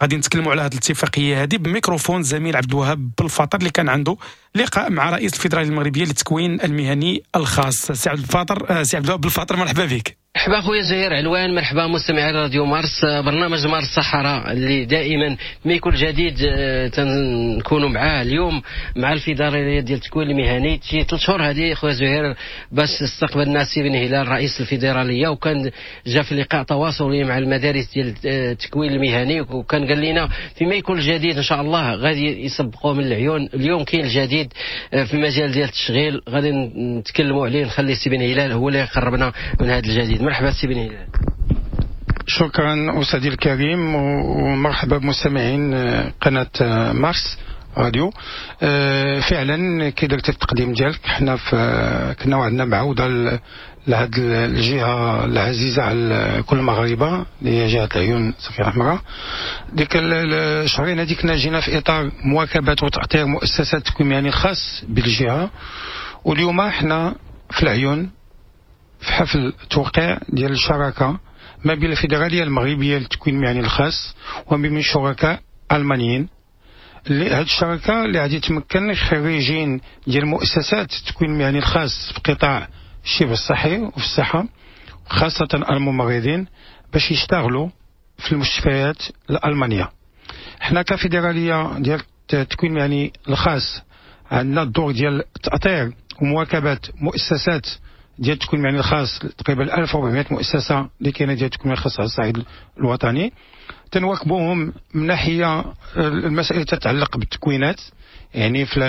غادي نتكلموا على هذه الاتفاقية هذه بميكروفون زميل عبد الوهاب بالفاطر اللي كان عنده لقاء مع رئيس الفيدرالية المغربية للتكوين المهني الخاص. سي عبد الفاطر، سي عبد الوهاب بالفاطر، مرحبا بك. مرحبا خويا زهير علوان، مرحبا مستمعي راديو مارس، برنامج مارس الصحراء اللي دائما ما يكون جديد تنكونوا معاه. اليوم مع الفيدرالية ديال التكوين المهني شي ثلاث شهور هذه خويا زهير باش استقبلنا سي بن هلال رئيس الفيدرالية، وكان جا في لقاء تواصلي مع المدارس ديال التكوين المهني، وكان قال لنا فيما يكون الجديد ان شاء الله غادي يسبقوا من العيون. اليوم كاين الجديد في مجال ديال التشغيل غادي نتكلموا عليه، نخلي سي بن هلال هو اللي يقربنا من هذا الجديد. مرحبا سي بن هلال. شكرا أستاذي الكريم، ومرحبا بمستمعين قناة مارس راديو. فعلا كي درت التقديم ديالك، حنا في كنا وعدنا بعودة لهاد الجهة العزيزة على كل المغاربة اللي هي جهة العيون صفير الحمراء. ديك الشهرين هذيك كنا جينا في إطار مواكبة وتأطير مؤسسات التكوين المهني الخاص بالجهة، واليوم حنا في العيون في حفل توقيع ديال الشراكة ما بين الفيدرالية المغربية للتكوين المهني الخاص وما بين شركاء ألمانيين. اللي هاد الشراكة اللي غادي تمكن خريجين ديال مؤسسات التكوين المهني الخاص في قطاع الشبه الصحي وفي الصحة خاصة الممرضين باش يشتغلوا في المستشفيات الألمانية. حنا كفيدرالية ديال التكوين المهني الخاص عندنا الدور ديال التأطير ومواكبة مؤسسات ديال التكوين المهني الخاص، تقريبا ألف وأربعمائة مؤسسة اللي كاينه ديال التكوين المهني الخاص على الصعيد الوطني. تنواكبوهم من ناحية المسائل تتعلق بالتكوينات، يعني في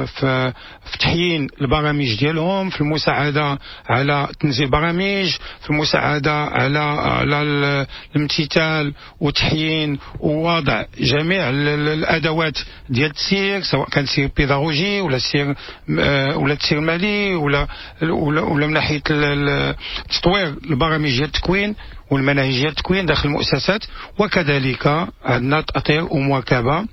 في, في تحيين البرامج ديالهم، في المساعدة على تنزيل برامج، في المساعدة على على الامتثال وتحيين ووضع جميع الادوات ديال التسيير، سواء كان تسيير بيداغوجي ولا تسيير ولا تسيير مالي ولا ولا, ولا من ناحية تطوير البرامج ديال التكوين والمناهج ديال التكوين داخل المؤسسات. وكذلك عندنا تأطير ومواكبه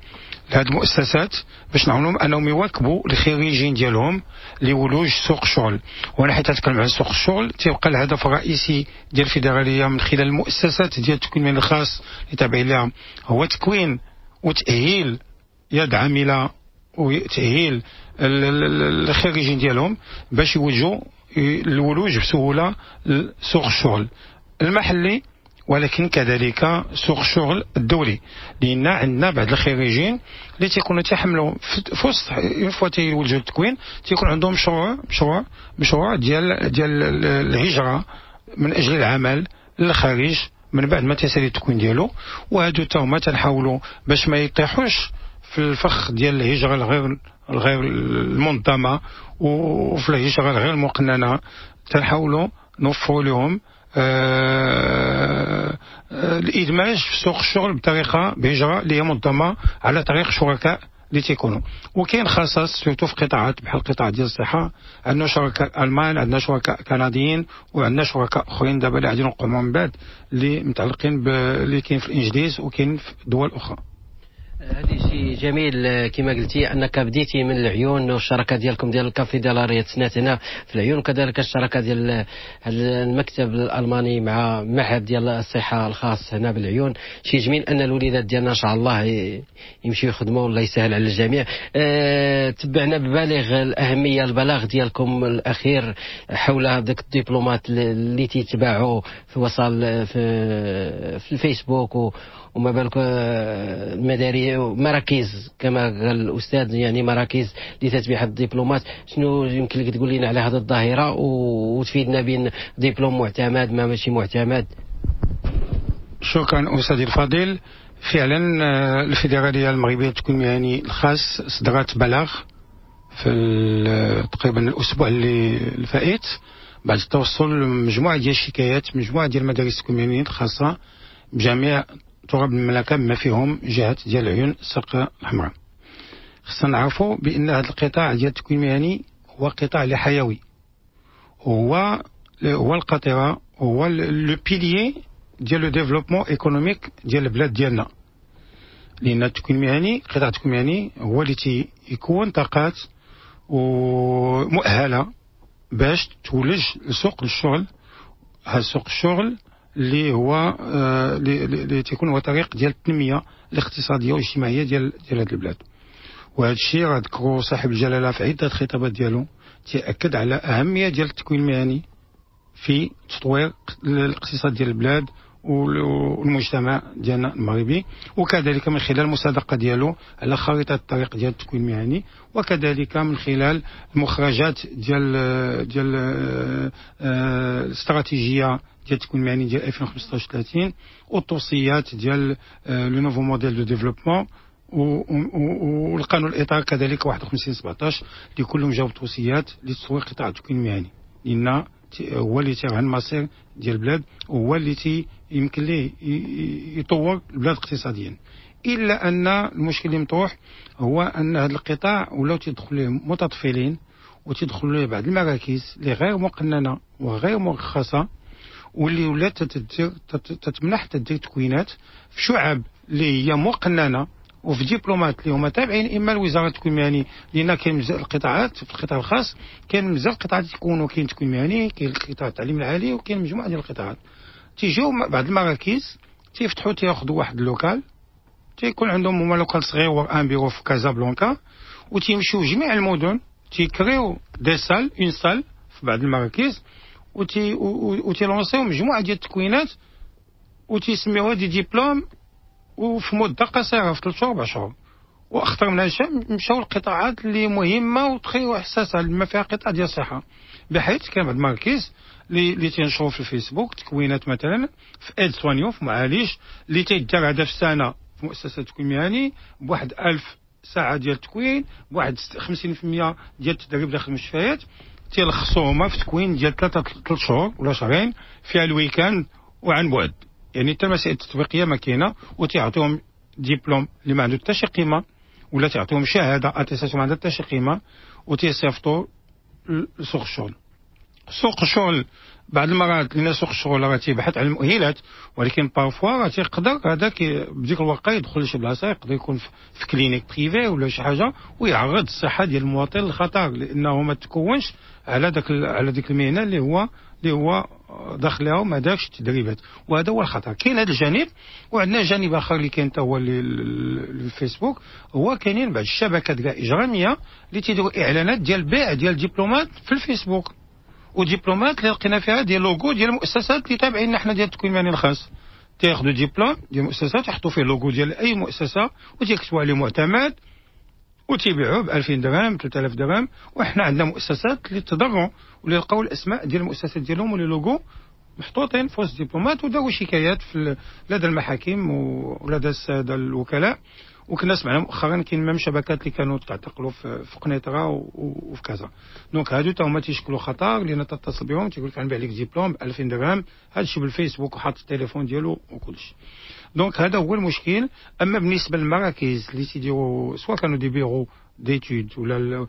لهاد المؤسسات باش نعاونهم انهم يواكبوا الخريجين ديالهم لولوج سوق الشغل. وانا حيت نتكلم على سوق الشغل تيبقى الهدف الرئيسي ديال الفيدرالية من خلال المؤسسات ديال التكوين المهني الخاص اللي تابعين لها هو تكوين وتاهيل يد عامله وتاهيل الخريجين ديالهم باش يوجهوا الولوج بسهولة لسوق الشغل المحلي، ولكن كذلك سوق الشغل الدولي، لان عندنا بعض الخريجين اللي تيكونوا تيحملوا في وسط une fois تيولجوا التكوين تيكون عندهم مشروع مشروع مشروع ديال ديال الهجرة من اجل العمل للخارج من بعد ما تسالي التكوين ديالو. وهادو تا هما تنحاولوا باش ما يطيحوش في الفخ ديال الهجرة الغير الغير المنظمة وفي الهجرة الغير المقننه، تنحاولوا نوفروا لهم آه الادماج في سوق الشغل بطريقة بهجره اللي هي منظمة على طريق شركاء اللي تيكونوا. وكاين خصاص surtout في قطاعات بحال القطاع ديال الصحه، عندنا شركاء المان، عندنا شركاء كنديين، وعندنا شركاء اخرين دابا اللي غادي نوقعوا من بعد اللي متعلقين اللي كاين في الانجليز وكاين في دول اخرى. هذا شيء جميل كما قلتي انك بديتي من العيون، والشراكه ديالكم ديال الكونفدراليه تسنات هنا في العيون، وكذلك الشراكة ديال المكتب الالماني مع معهد ديال الصحة الخاص هنا بالعيون. شيء جميل ان الوليدات ديالنا ان شاء الله يمشيو يخدموا، والله يسهل على الجميع. أه تبعنا ببالغ الاهمية البلاغ ديالكم الاخير حول هذاك الدبلومات اللي تيتباعوا في وصل في, في الفيسبوك و وما بالك المدارس مراكز كما قال الاستاذ، يعني مراكز لتتبيع الدبلومات. شنو يمكن لك تقول لنا على هذه الظاهرة وتفيدنا بين دبلوم معتمد ما ماشي معتمد؟ شكرا استاذي الفاضل. فعلا الفيدرالية المغربية للتكوين المهني الخاص صدرت بلاغ في تقريبا الاسبوع اللي الفائت بعد التوصل لمجموعة ديال الشكايات، مجموعة ديال المدارس التكوين المهني الخاصة بجميع تراب المملكة بما فيهم جهة ديال العيون الساقية الحمراء. خصنا نعرفوا بان هذا القطاع ديال التكوين المهني هو قطاع اللي حيوي، هو هو القاطره، هو le pilier ديال le développement économique ديال البلاد ديالنا. لان التكوين المهني، قطاع التكوين المهني هو اللي تيكون طاقات ومؤهله باش تولج لسوق الشغل. هذا سوق الشغل اللي هو اللي تيكون هو طريق ديال التنمية الاقتصادية والاجتماعية ديال ديال هذه البلاد. وهذا الشيء راه ذكرو صاحب الجلاله في عده خطابات ديالو، تيأكد على اهمية ديال التكوين المهني في تطوير الاقتصاد ديال البلاد والمجتمع ديالنا المغربي، وكذلك من خلال المصادقة ديالو على خريطة الطريق ديال التكوين المهني، وكذلك من خلال المخرجات ديال ديال الاستراتيجية ديال التكوين المهني ديال ألفين وخمسطاش ثلاثين، والتوصيات ديال le nouveau modèle de développement، والقانون الاطار كذلك واحد وخمسين سبعطاش اللي كلهم جاو توصيات لتطوير قطاع التكوين المهني، لان هو اللي تيرهن المصير ديال البلاد، وهو اللي تي يمكن ليه يطور البلاد اقتصاديا. الا ان المشكل اللي مطروح هو ان هذا القطاع ولاو تيدخل ليه متطفلين، وتيدخلوا ليه بعض المراكز اللي غير مقننه وغير مرخصة، واللي ولات تتمنح تدير تكوينات في شعب اللي هي مقننه وفي دبلومات اللي هما تابعين اما لوزارة التكوين المهني، لان كاين بزاف القطاعات في القطاع الخاص، كاين بزاف القطاعات تيكونوا، كاين التكوين المهني، كاين قطاع التعليم العالي، وكاين مجموعة ديال القطاعات. تيجيو بعض المراكز تيفتحوا تياخذوا واحد ال local، تيكون عندهم هما local صغير un bureau في كازابلانكا، وتيمشيو جميع المدن تيكريو des salles، une salle في بعض المراكز، وتي وتيلونسيو مجموعة ديال التكوينات وتيسميوها des diplômes، وفي مده قصيرة في ثلاث شهور اربع شهور. واخطر من هادشي مشاو القطاعات اللي مهمة وتخي وحساسه اللي فيها قطاع ديال الصحة، بحيث كاين بعض المراكز اللي تينشروا في الفيسبوك تكوينات مثلا في aide-soignant في معالج اللي تيدار هذا في السنة في مؤسسة التكوين المهني بواحد ألف ساعة ديال التكوين، بواحد خمسين بالمية ديال التدريب داخل المستشفيات، تيلخصوهما في تكوين ديال ثلاثة ثلاث شهور ولا شهرين فيها ال week-end وعن بعد، يعني حتى المسائل التطبيقية ما كاينه، وتيعطيهم ديبلوم اللي ما عنده حتى شي قيمة، ولا تعطيهم شهادة attestation ما عندها حتى شي قيمة، وتيصيفطوا لسوق الشغل. سوق الشغل بعض المرات لان سوق الشغل راه تيبحث على المؤهلات، ولكن parfois راه تيقدر هذاك بديك الورقة يدخل لشي بلاصة، يقدر يكون في clinique privée ولا شي حاجة، ويعرض الصحة ديال المواطن للخطر، لانه ما تكونش على داك على ديك المهنة اللي هو اللي هو داخلها وما دارش التدريبات، وهذا هو الخطر. كاين هذا الجانب، وعندنا جانب اخر اللي كاين حتى هو الفيسبوك، هو كاينين بعض الشبكات كاع اجراميه اللي تيديروا اعلانات ديال بيع ديال ديبلومات في الفيسبوك، ودبلومات اللي لقينا فيها ديال لوغو ديال المؤسسات اللي تابعين حنا ديال التكوين المهني الخاص. تياخذوا ديبلوم ديال المؤسسات يحطوا فيه لوغو ديال اي مؤسسة وتيكتبوا عليه معتمد وتيبيعوه ب ألفين درهم ثلاثة آلاف درهم. وحنا عندنا مؤسسات اللي تضروا واللي لقاو الاسماء ديال المؤسسات ديالهم و les logos محطوطين في وسط ديبلومات، وداروا شكايات في لدى المحاكم ولدى السادة الوكلاء. وكنا سمعنا مؤخرا كاين même شبكات اللي كانوا تعتقلوا في, في قنيطره وفي كازا. donc هادو تا هما تيشكلوا خطر، لان تتصل بهم تيقول لك غنبيع لك ديبلوم ب ألفين درهم، هذا الشيء بالفيسبوك وحاط التليفون ديالو وكلشي. donc هذا هو المشكل. اما بالنسبة للمراكز اللي تيديروا سواء كانوا des bureaux d'études ولا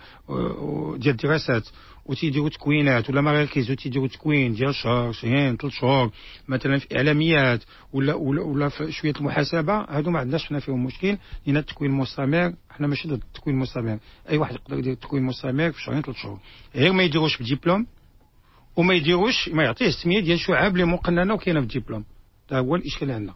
ديال الدراسات وتيديروا تكوينات، ولا مراكز وتيديروا تكوين ديال شهر شهرين ثلاث شهور مثلا في اعلاميات ولا ولا, ولا في شوية المحاسبة، هادو ما عندناش حنا فيهم مشكل، لان التكوين المستمر حنا ماشي ضد التكوين المستمر، اي واحد يقدر يدير التكوين المستمر في شهرين ثلاث شهور، غير ما يديروش بديبلوم وما يديروش ما يعطيه السمية ديال شعاب اللي مقننه وكاينه في الدبلوم. هذا هو الاشكال اللي عندنا.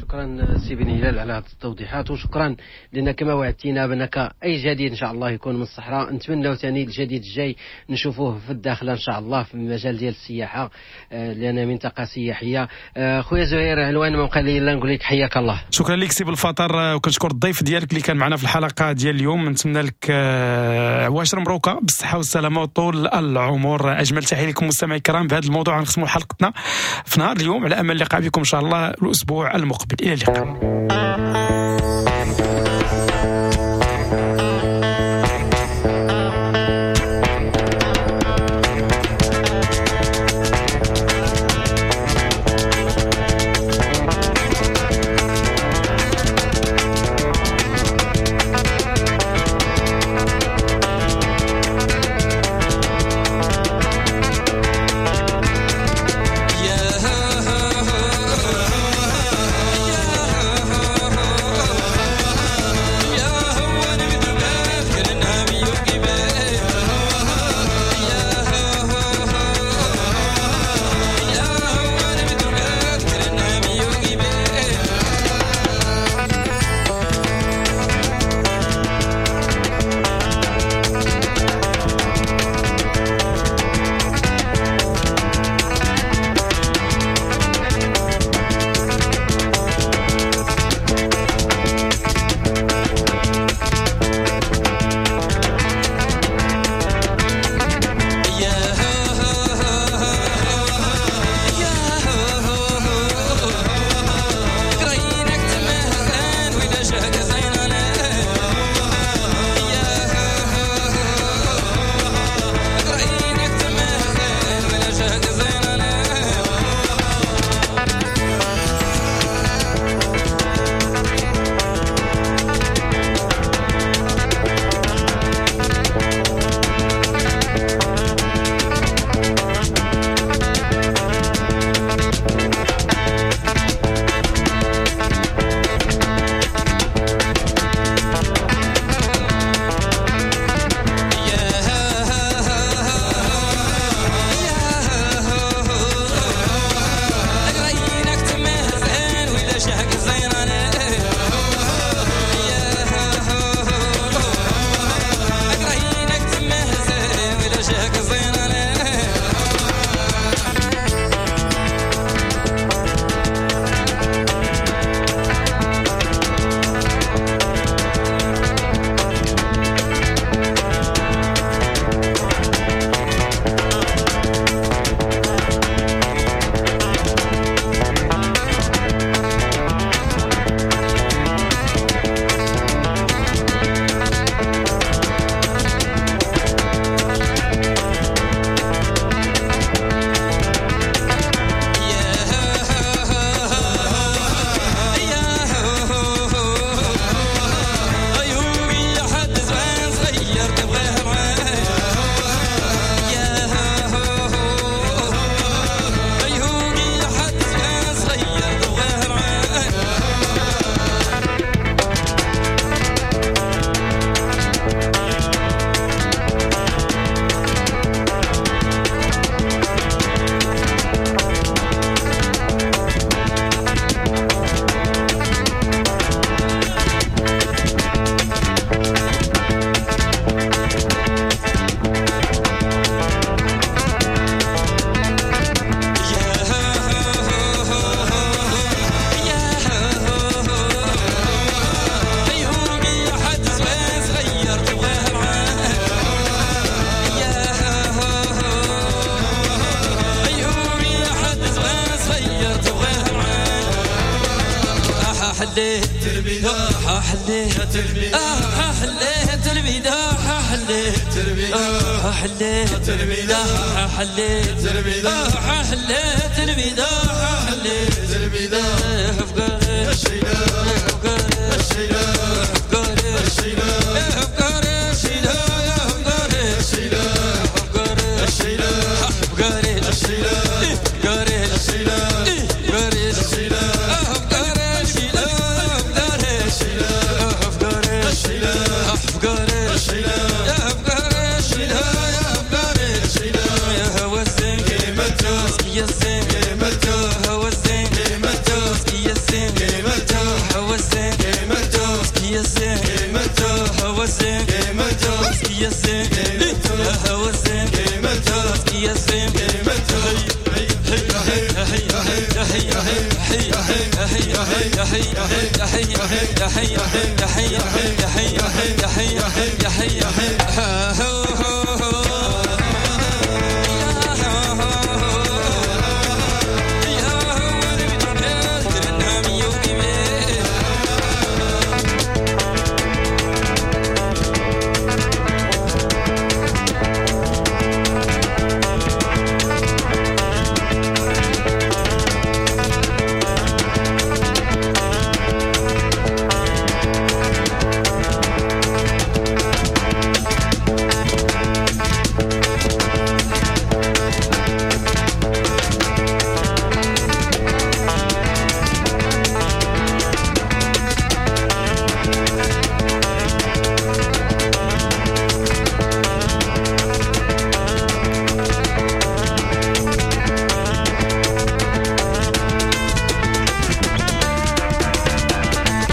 شكرا سي بن هلال على هذه التوضيحات، وشكرا لان كما وعدتينا بانك اي جديد ان شاء الله يكون من الصحراء، نتمنوا ثاني الجديد الجاي نشوفوه في الداخلة ان شاء الله في المجال ديال السياحة، لان منطقة سياحية. خويا زهير علوان ما بقى لي الا نقول لك حياك الله. شكرا لك سي بالفطر، وكنشكر الضيف ديالك اللي كان معنا في الحلقة ديال اليوم. نتمنى لك عواشر مبروكه بالصحة والسلامة وطول العمر. اجمل تحية لكم مستمعي الكرام. بهذا الموضوع غنختموا حلقتنا في نهار اليوم، على امل اللقاء بكم ان شاء الله الاسبوع المقبل. إلى اللقاء. Yeah. حليت آه حليت البداحة حليت آه حليت البداحة حليت آه حليت البداحة حليت البداحة فقري فقري فقري فقري فقري فقري